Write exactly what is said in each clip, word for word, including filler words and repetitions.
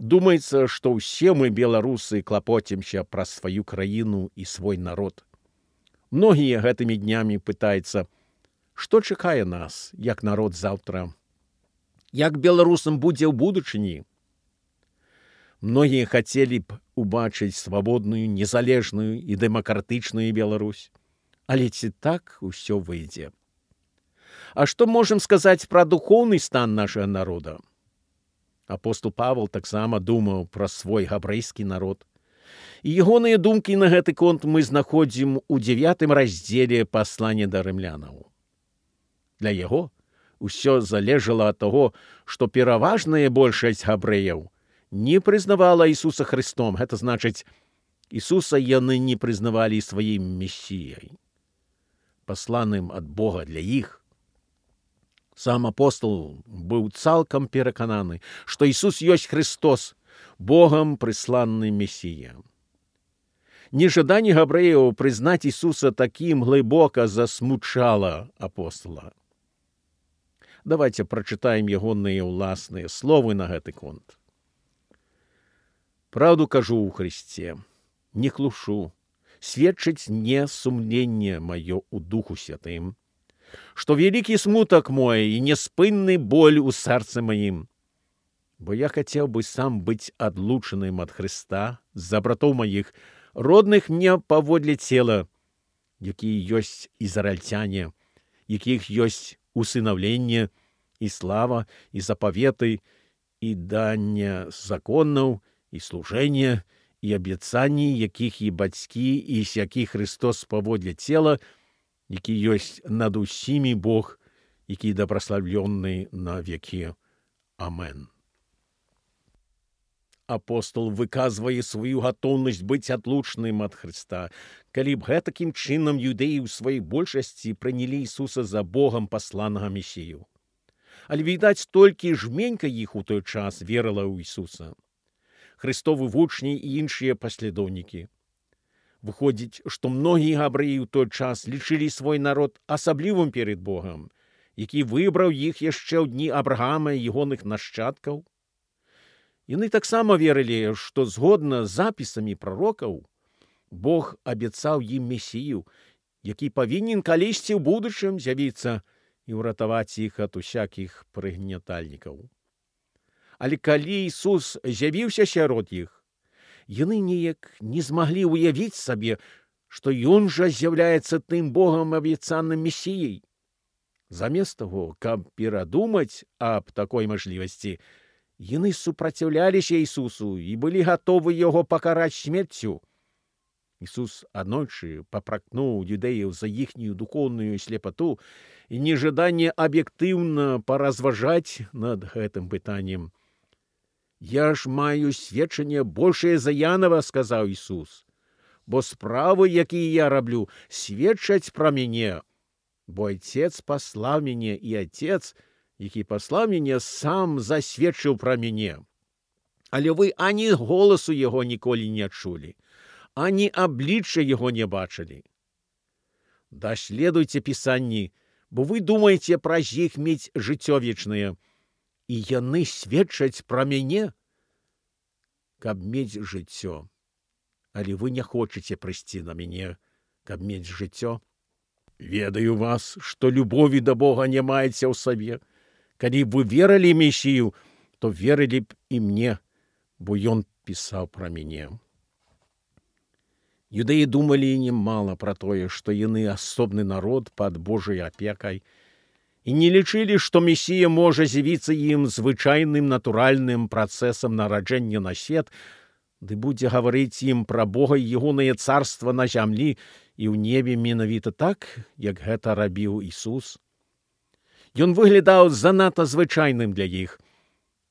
Думаецца, што ўсе мы, беларусы, клапоцімся пра сваю краіну і свой народ. Многія гэтымі днямі пытаюцца, што чакае нас, як народ заўтра, як беларусам будзе ў будучыні. Многія хацелі б убачыць свабодную, незалежную і дэмакратычную Беларусь. Але ці так усё выйдзе? А што можам сказаць пра духоўны стан нашага народа? Апостол Павел таксама думаў пра свой габрэйскі народ. І ягоныя думкі на гэты конт мы знаходзім у дзевятым раздзеле паслання да рымлянаў. Для яго ўсё залежала ад таго, што пераважная большасць габрэяў не прызнавала Ісуса Христом. Гэта значыць, Ісуса яны не прызнавалі сваім месіяй, пасланым ад Бога для іх. Сам апостол быў цалкам перакананы, што Ісус ёсць Христос, Богам прысланны месія. Нежаданне габрэяў прызнаць Ісуса такім глыбока засмучала апостола. Давайте прачытаем ягоныя ўласныя словы на гэты конт. Праўду кажу ў Христе, не клушу, сведчыць не сумленне маё ў Духу Святым, што вялікі смутак мой і неспынны боль у сэрцы маім. Бо я хацеў бы сам быць адлучаным ад Христа з-за братоў маіх, родных мне паводле цела, якія ёсць ізраільцяне, якіх ёсць усынаўленне і слава, і запаветы, і данне законаў, і служэнне, і абяцанні, якіх і бацькі, і з якіх Христос паводле цела, які ёсць над усімі Бог, які дабраславлённы на векі. Амен. Апостол выказвае сваю гатоўнасць быць адлучаным ад Христа. Калі б гэтакім чынам юдэі ў сваёй большасці прынялі Ісуса за Богам пасланага месію. Але, відаць, толькі жменька іх у той час верыла ў Ісуса. Христовы вучні і іншыя паслядоўнікі. Выходзіць, што многія габрэі ў той час лічылі свой народ асаблівым перад Богам, які выбраў іх яшчэ ў дні Абрагама і ягоных нашчадкаў. Яны таксама верылі, што згодна з запісамі прарокаў, Бог абяцаў ім месію, які павінен калісьці ў будучым з'явіцца і ўратаваць іх ад усякіх прыгнятальнікаў. Але калі Ісус з'явіўся сярод іх, яны неяк не змаглі ўявіць сабе, што Ён жа з'яўляецца тым Богам абяцаным месіяй. Замест таго, каб перадумаць аб такой мажлівасці, яны супраціўляліся Ісусу і былі гатовы яго пакараць смерцю. Ісус аднойчы папракнуў юдэяў за іхнюю духоўную слепату і нежаданне аб'ектыўна паразважаць над гэтым пытаннем. «Я ж маю сведчанне большае за Янова», — сказаў Ісус, «бо справы, якія я раблю, сведчаць пра мяне, бо Отец паслаў мяне, і Отец, які паслаў мяне, сам засведчыў пра мяне. Але вы ані голасу яго ніколі не чулі, ані аблічча яго не бачылі. Даследуйце пісанні, бо вы думаеце праз іх мець жыццё вечнае, і яны сведчаць пра мяне, каб мець жыццё. Але вы не хочаце прыйсці на мяне, каб мець жыццё. Ведаю вас, што любові да Бога не маеце ў сабе. Калі б вы верылі Месію, то верылі б і мне, бо ён пісаў пра мяне. Юдэі думалі немала пра тое, што яны асобны народ пад Божай апекай, і не лічылі, што Месія можа з'явіцца ім звычайным натуральным працэсам нараджэння на свет, ды будзе гаварыць ім пра Бога і ягонае царства на зямлі і ў небе менавіта так, як гэта рабіў Ісус. Ён выглядаў занадта звычайным для іх,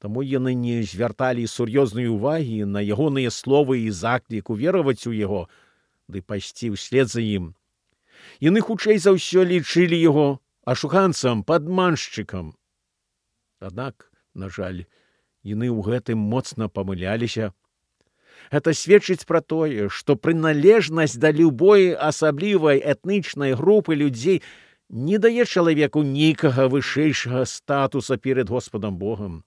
таму яны не звярталі сур'ёзнай увагі на ягоныя словы і заклік увераваць у яго, ды пайсці ўслед за ім. Яны хутчэй за ўсё лічылі яго ашуканцам, падманшчыкам. Аднак, на жаль, яны ў гэтым моцна памыляліся. Гэта сведчыць пра тое, што прыналежнасць да любой асаблівай этнічнай групы людзей не дае чалавеку нейкага вышэйшага статуса перад Господам Богам.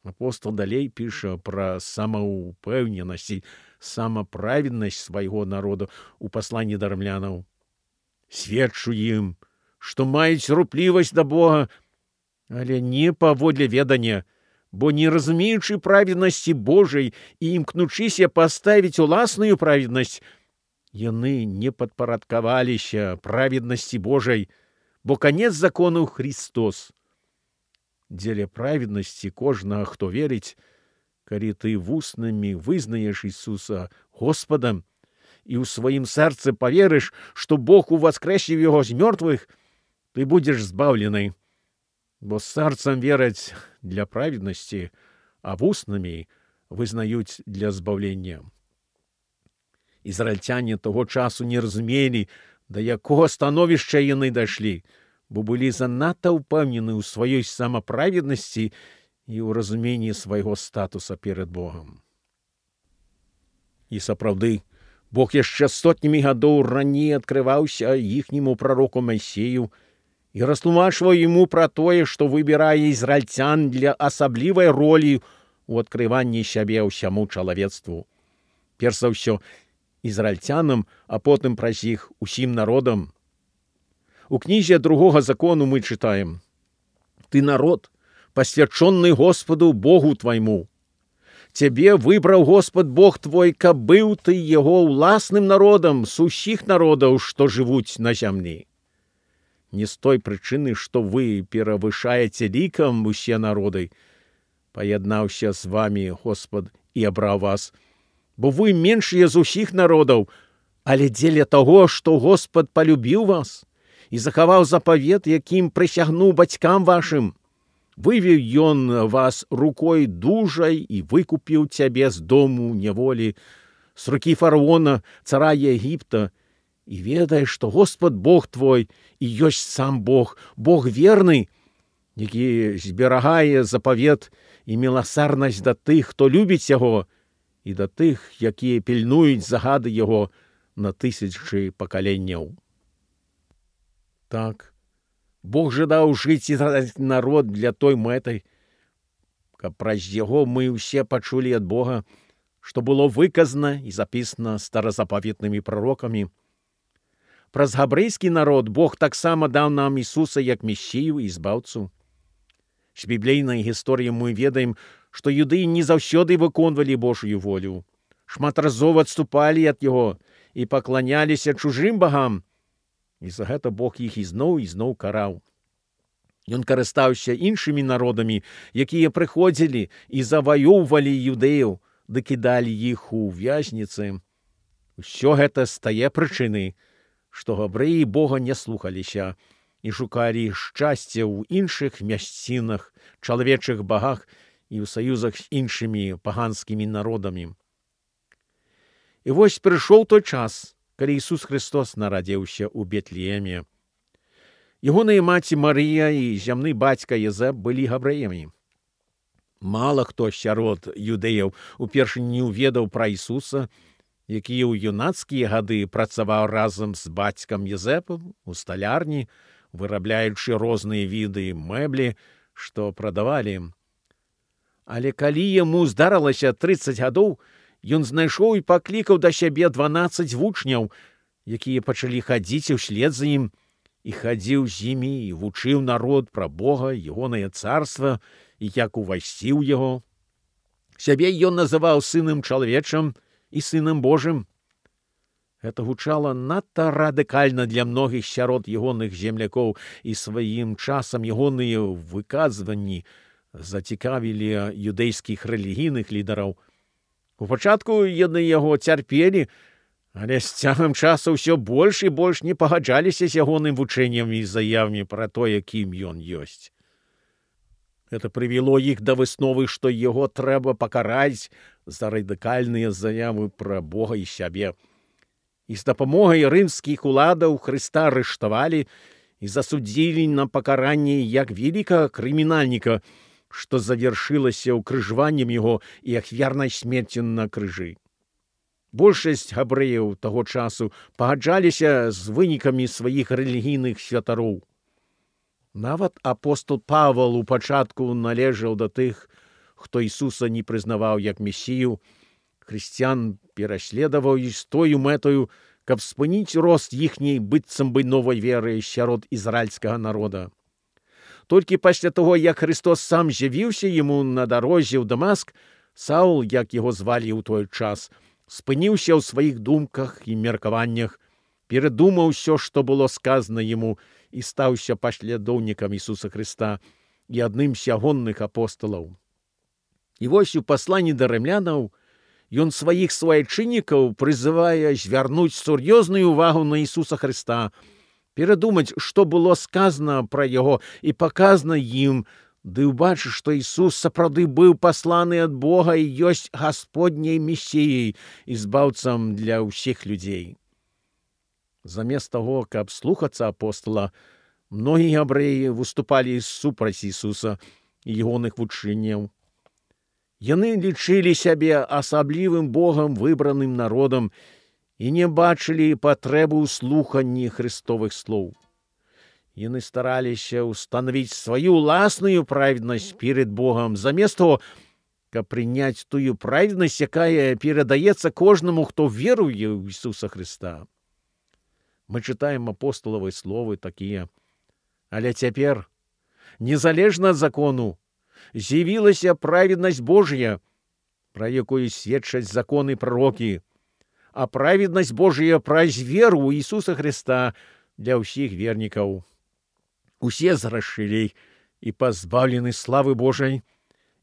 Апостол далей піша пра самаўпэўненасць і самаправеднасць свайго народа ў пасланні да рымлянаў. Сведчу ім, што маюць руплівасць да Бога, але не паводле ведання, бо не разумеючы праведнасці Божай і імкнучыся паставіць уласную праведнасць, яны не падпарадкаваліся праведнасці Божай, бо канец закону Христос. Дзеля праведнасці кожнага, хто верыць, калі ты вуснамі вызнаеш Ісуса Господам і ў сваім сэрцы паверыш, што Бог уваскрэсіў яго з мёртвых, ты будзеш збаўлены. Бо сэрцам вераць для праведнасці, а вуснамі вызнаюць для збаўлення. Ізраільцяне таго часу не разумелі, да якога становішча яны дайшлі, бо былі занадта ўпэўнены ў сваёй самаправеднасці і ў разуменні свайго статуса перад Богам. І сапраўды, Бог яшчэ сотнямі гадоў раней адкрываўся іхняму прароку Майсею і растлумачваў яму пра тое, што выбірае ізраільцян для асаблівай ролі ў адкрыванні сябе ўсяму чалавецтву. Перш за ўсё, ізраільцянам, а потым праз іх усім народам. У кнізе другога закону мы чытаем: «Ты народ, посвяченный Господу Богу твайму. Тебе выбраў Господ Бог твой, каб быў ты яго ўласным народам з усіх народаў, што жывуць на зямлі. Не з той прычыны, што вы перавышаеце лікам усе народы, паяднаўся з вамі Господ і абраў вас, бо вы меншыя з усіх народаў, але дзеля таго, што Господ палюбіў вас і захаваў запавет, якім прысягнуў бацькам вашым. Вывеў ён вас рукой дужай і выкупіў цябе з дому няволі, з рукі фараона, цара Егіпта, і ведай, што Господ Бог твой і ёсць сам Бог, Бог верны, які зберагае запавет і міласарнасць да тых, хто любіць яго, і да тых, якія пільнуюць загады яго на тысячы пакаленняў». Так, Бог жадаў жыць ізраільскі народ для той мэтай, каб праз яго мы ўсе пачулі ад Бога, што было выказана і запісана старазапаветнымі прарокамі. Праз габрэйскі народ Бог таксама даў нам Ісуса як месію і збаўцу. З біблейнай гісторыі мы ведаем, што юдэі не заўсёды выконвалі Божую волю, шматразова адступалі ад яго і пакланяліся чужым багам, і за гэта Бог іх ізноў і зноў караў. Ён карыстаўся іншымі народамі, якія прыходзілі і заваёўвалі юдэяў, ды кідалі іх у вязніцы. Усё гэта з тае прычыны, што габрэі Бога не слухаліся і шукалі шчасце ў іншых мясцінах, чалавечых багах і ў саюзах з іншымі паганскімі народамі. І вось прыйшоў той час, калі Ісус Христос нарадзіўся ў Бетлееме. Ягоная маці Марыя і зямны бацька Езэп былі габрэямі. Мала хто сярод юдэяў упершыню ведаў пра Ісуса, які ў юнацкія гады працаваў разам з бацькам Езэпам у сталярні, вырабляючы розныя віды мэблі, што прадавалі. Але калі яму здарылася трыццаць гадоў, ён знайшоў і паклікаў да сябе дванаццаць вучняў, якія пачалі хадзіць услед за ім, і хадзіў з імі і вучыў народ пра Бога, ягонае царства і як увайсці ў яго. Сябе ён называў сынам чалавечым і сынам Божым. Гэта гучала надта радыкальна для многіх сярод ягоных землякоў, і сваім часам ягоныя выказванні зацікавілі юдэйскіх рэлігійных лідараў. У пачатку яны яго цярпелі, але з цягам часу ўсё больш і больш не пагаджаліся з ягоным вучэннем і заявамі пра тое, кім ён ёсць. Гэта прывяло іх да высновы, што яго трэба пакараць за радыкальныя заявы пра Бога і сябе. І з дапамогай рымскіх уладаў Хрыста арыштавалі і засудзілі на пакаранне як вялікага крымінальніка, што завяршылася ўкрыжваннем яго і ахвярнай смерцю на крыжы. Большасць габрэяў таго часу пагаджаліся з вынікамі сваіх рэлігійных святароў. Нават апостол Павал у пачатку належаў да тых, хто Ісуса не прызнаваў як месію, хрысціян пераследаваў з тою мэтаю, каб спыніць рост іхняй быццам бы новай веры сярод ізраільскага народа. Толькі пасля таго, як Христос сам з'явіўся яму на дарозе ў Дамаск, Саул, як яго звалі ў той час, спыніўся ў сваіх думках і меркаваннях, перадумаў усё, што было сказана яму, і стаўся паслядоўнікам Ісуса Хрыста і адным з ягонных апосталаў. І вось у пасланні да рымлянаў ён сваіх суайчыннікаў прызывае звярнуць сур'ёзную ўвагу на Ісуса Хрыста, перадумаць, што было сказана пра яго і паказана ім, ды ўбачыць, што Ісус сапраўды быў пасланы ад Бога і ёсць Гасподняй месіяй і збаўцам для ўсіх людзей. Замест таго, каб слухацца апостала, многія габрэі выступалі супраць Ісуса і ягоных вучэнняў. Яны лічылі сябе асаблівым Богам выбраным народам і не бачылі патрэбы ў слуханні Христовых слоў. Яны стараліся ўстанавіць сваю ўласную праведнасць перед Богам, замест того, каб прыняць тую праведнасць, якая перадаецца кожнаму, хто веруе ў Ісуса Христа. Мы чытаем апосталавы словы такія: «Але цяпер, незалежна ад закону, з'явілася праведнасць Божая, пра якую сведчаць законы прарокі, а праведнасць Божая праз веру ў Ісуса Христа для ўсіх вернікаў. Усе зграшылі і пазбаўлены славы Божай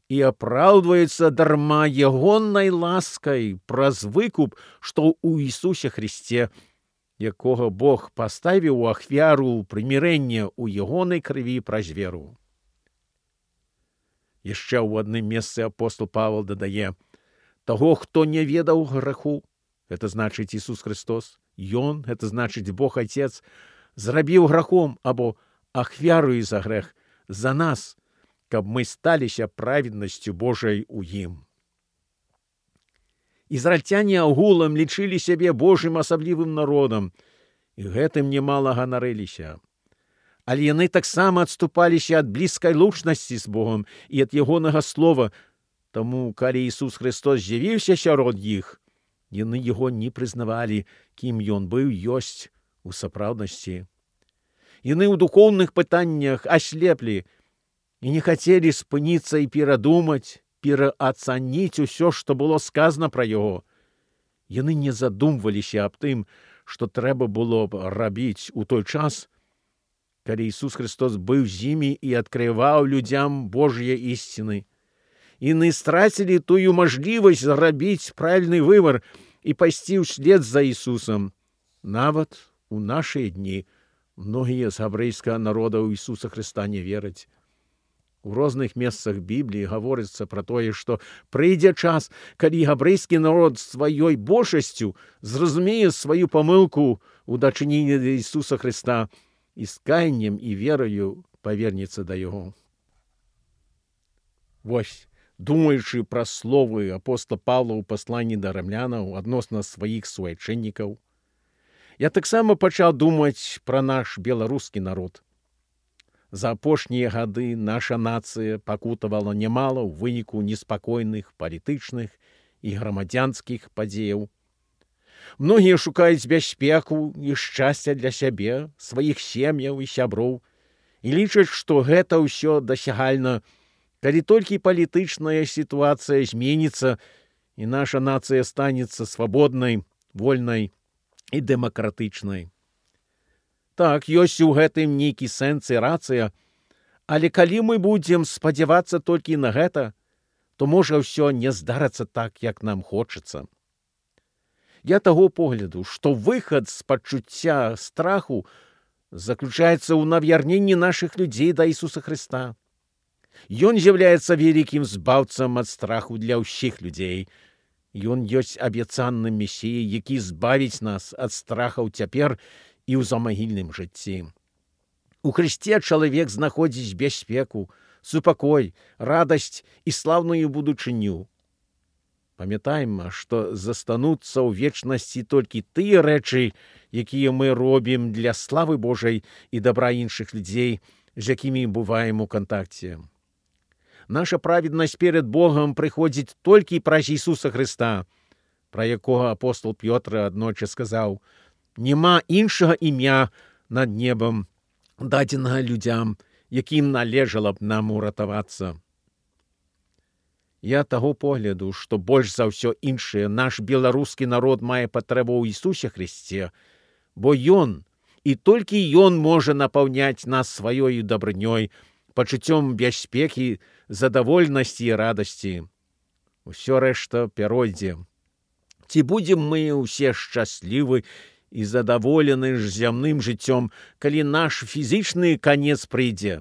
і апраўдваюцца дарма ягоннай ласкай праз выкуп, што ў Ісусе Христе, якога Бог паставіў у ахвяру прымірэння ў ягонай крыві праз веру». Яшчэ ў адным месцы апостол Павел дадае: «Таго, хто не ведаў граху, это значыць Ісус Христос, Ён, это значыць Бог Отец, зрабіў грахом або ахвярою за грэх за нас, каб мы сталіся праведнасцю Божай у ім». Ізраільцяне агулам лічылі сябе Божым асаблівым народам, і гэтым немала ганарыліся. Але яны таксама адступаліся ад блізкай лучнасці з Богом і ад ягонага слова, таму, калі Ісус Христос з'явіўся сярод іх, яны яго не прызнавалі, кім ён быў ёсць у сапраўднасці. Яны ў духоўных пытаннях аслеплі і не хацелі спыніцца і перадумаць, пераацаніць усё, што было сказана пра яго. Яны не задумваліся аб тым, што трэба было б рабіць у той час, калі Ісус Христос быў з імі і адкрываў людзям Божыя ісціны. Яны страцілі тую мажлівасць зрабіць правільны выбар і пайсці ўслед за Ісусам. Нават у нашыя дні многія з габрэйскага народа ў Ісуса Христа не вераць. У розных месцах Бібліі гаворыцца пра тое, што прыйдзе час, калі габрэйскі народ сваёй большасцю зразумее сваю памылку ў дачыненні да Ісуса Христа і з каяннем і верою павернецца да яго. Вось, думаючы пра словы апостола Павла ў пасланні да рымлянаў адносна сваіх суайчыннікаў, я таксама пачаў думаць пра наш беларускі народ. За апошнія гады наша нацыя пакутавала нямала ў выніку неспакойных палітычных і грамадзянскіх падзеяў. Многія шукаюць бяспеку і шчасця для сябе, сваіх сем'яў і сяброў і лічаць, што гэта ўсё дасягальна, калі толькі палітычная сітуацыя зменіцца і наша нацыя станецца свабоднай, вольнай і дэмакратычнай. Так, ёсць у гэтым нейкі сэнс і рацыя, але калі мы будзем спадзявацца толькі на гэта, то можа ўсё не здарыцца так, як нам хочацца. Я таго погляду, што выхад з пачуцця страху заключаецца ў навярненні нашых людзей да Ісуса Христа. Ён з'яўляецца вялікім збаўцам ад страху для ўсіх людзей. Ён ёсць абяцаным месіяй, які збавіць нас ад страхаў цяпер і ў замагільным жыцці. У Христе чалавек знаходзіць бяспеку, супакой, радасць і слаўную будучыню. Памятаем, што застануцца ў вечнасці толькі тыя рэчы, якія мы робім для славы Божай і дабра іншых людзей, з якімі бываем у кантакце. Наша праведнасць перед Богом прыходзіць толькі праз Ісуса Христа, пра якога апостол Пётр аднойчы сказаў: «Нема іншага імя над небам, дадзенага людзям, якім належала б нам уратавацца». Я таго погляду, што больш за ўсё іншае наш беларускі народ мае патрэбу ў Ісусе Христе, бо Ён, і толькі Ён можа напаўняць нас сваёю дабрынёй, пачуццём бяспекі, задавольнасці і радасці. Усё рэшта пяройдзе. Ці будзем мы ўсе шчаслівы і задаволены ж зямным жыццём, калі наш фізічны канец прыйдзе?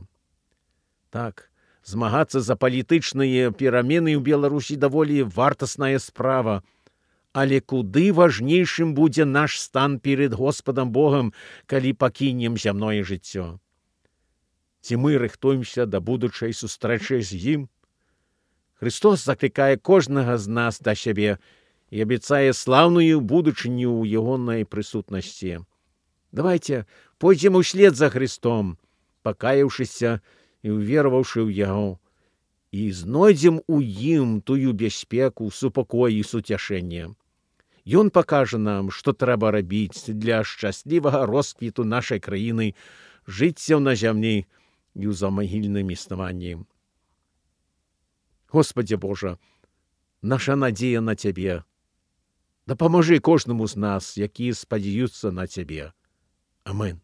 Так, змагацца за палітычныя перамены ў Беларусі даволі вартасная справа, але куды важнейшым будзе наш стан перед Господам Богам, калі пакінем зямное жыццё? Ці мы рыхтуемся да будучай сустрэчы з ім? Христос заклікае кожнага з нас да сябе і абяцае слаўную будучыню ў ягонай прысутнасці. Давайте пойдзем услед за Христом, пакаяўшыся і увераваўшы ў Яго, і знойдзем у ім тую бяспеку, супакой і суцяшэнне. Ён пакажа нам, што трэба рабіць для шчаслівага росквіту нашай краіны, жыцця на зямлі і ў замагільным існаванні. Господзе Божа, наша надзея на Цябе. Дапамажы кожнаму з нас, які спадзяюцца на Цябе. Амин.